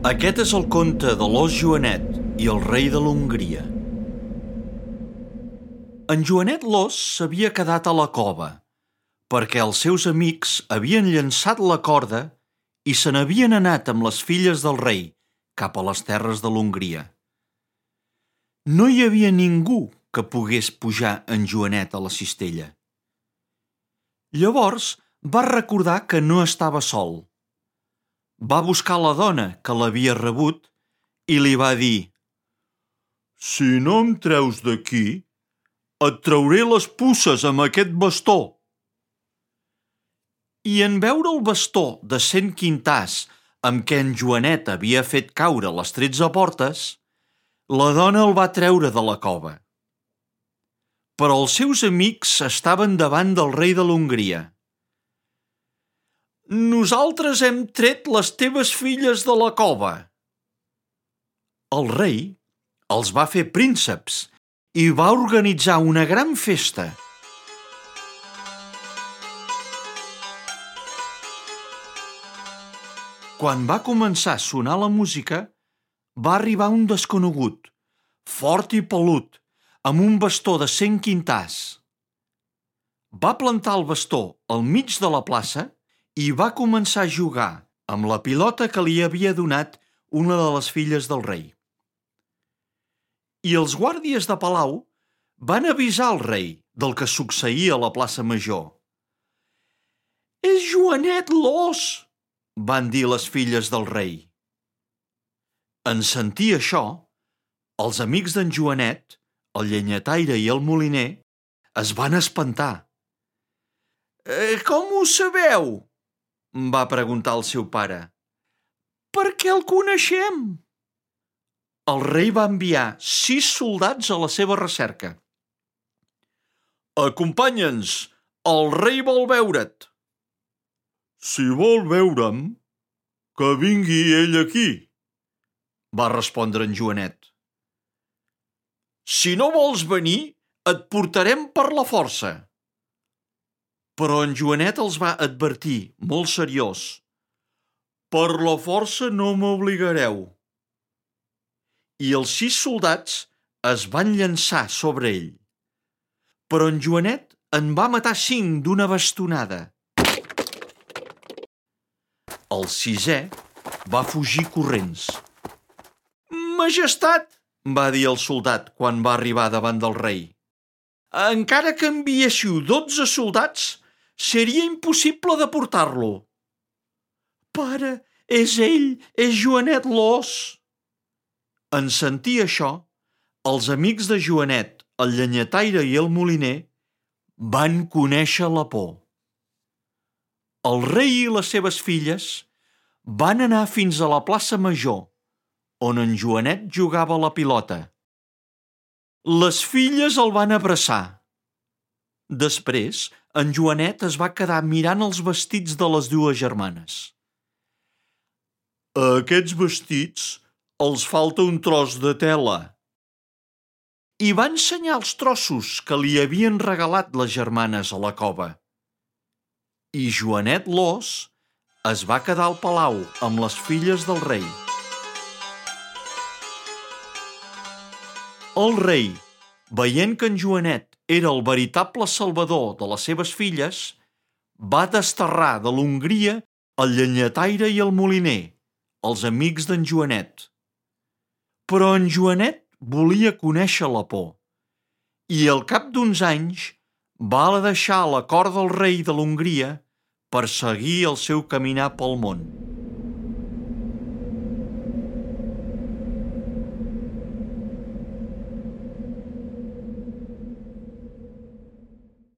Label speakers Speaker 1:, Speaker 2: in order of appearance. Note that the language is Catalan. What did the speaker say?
Speaker 1: Aquest és el conte de l'ós Joanet i el rei de l'Hongria. En Joanet l'ós s'havia quedat a la cova perquè els seus amics havien llançat la corda i se n'havien anat amb les filles del rei cap a les terres de l'Hongria. No hi havia ningú que pogués pujar en Joanet a la cistella. Llavors va recordar que no estava sol. Va buscar la dona que l'havia rebut i li va dir: «Si no em treus d'aquí, et trauré les puces amb aquest bastó». I en veure el bastó de 100 quintars amb què en Joanet havia fet caure les 13 portes, la dona el va treure de la cova. Però els seus amics estaven davant del rei de l'Hongria. «Nosaltres hem tret les teves filles de la cova». El rei els va fer prínceps i va organitzar una gran festa. Quan va començar a sonar la música, va arribar un desconegut, fort i pelut, amb un bastó de 100 quintars. Va plantar el bastó al mig de la plaça i va començar a jugar amb la pilota que li havia donat una de les filles del rei. I els guàrdies de palau van avisar el rei del que succeïa a la plaça major. «És Joanet l'ós!», van dir les filles del rei. En sentir això, els amics d'en Joanet, el llenyataire i el moliner, es van espantar. «Com ho sabeu?», va preguntar el seu pare. «Perquè el coneixem». El rei va enviar 6 soldats a la seva recerca. «Acompanya'ns, el rei vol veure't». «Si vol veure'm, que vingui ell aquí», va respondre en Joanet. «Si no vols venir, et portarem per la força». Però en Joanet els va advertir, molt seriós: «Per la força no m'obligareu». I els 6 soldats es van llançar sobre ell. Però en Joanet en va matar 5 d'una bastonada. El 6è va fugir corrents. «Majestat», va dir el soldat quan va arribar davant del rei, «encara que enviéssiu 12 soldats, seria impossible de portar-lo». «Pare, és ell, és Joanet l'ós». En sentir això, els amics de Joanet, el llenyataire i el moliner, van conèixer la por. El rei i les seves filles van anar fins a la plaça major, on en Joanet jugava a la pilota. Les filles el van abraçar. Després, en Joanet es va quedar mirant els vestits de les 2 germanes. «A aquests vestits els falta un tros de tela». I va ensenyar els trossos que li havien regalat les germanes a la cova. I Joanet l'ós es va quedar al palau amb les filles del rei. El rei, veient que en Joanet era el veritable salvador de les seves filles, va desterrar de l'Hongria el llenyataire i el moliner, els amics d'en Joanet. Però en Joanet volia conèixer la por, i al cap d'uns anys va deixar la cort del rei de l'Hongria per seguir el seu caminar pel món.